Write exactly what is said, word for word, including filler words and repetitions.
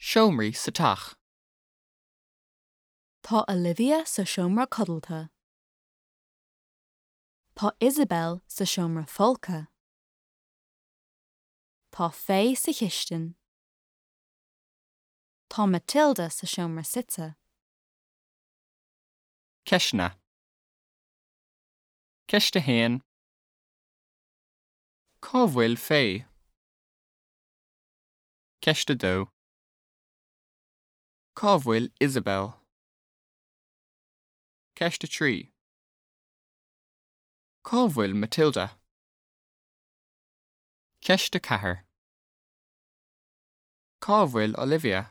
Seomraí sa teach. Tá Olivia sa seomra codlata. Tá Isabel sa seomra folctha. Tá Faye sa chistin. Tá Matilda sa seomra suite. Ceisteanna. Ceist a haon. Cá bhfuil Faye? Ceist a dó. Cá bhfuil Isabel? Ceist a trí. Cá bhfuil Matilda? Ceist a ceathair. Cá bhfuil Olivia?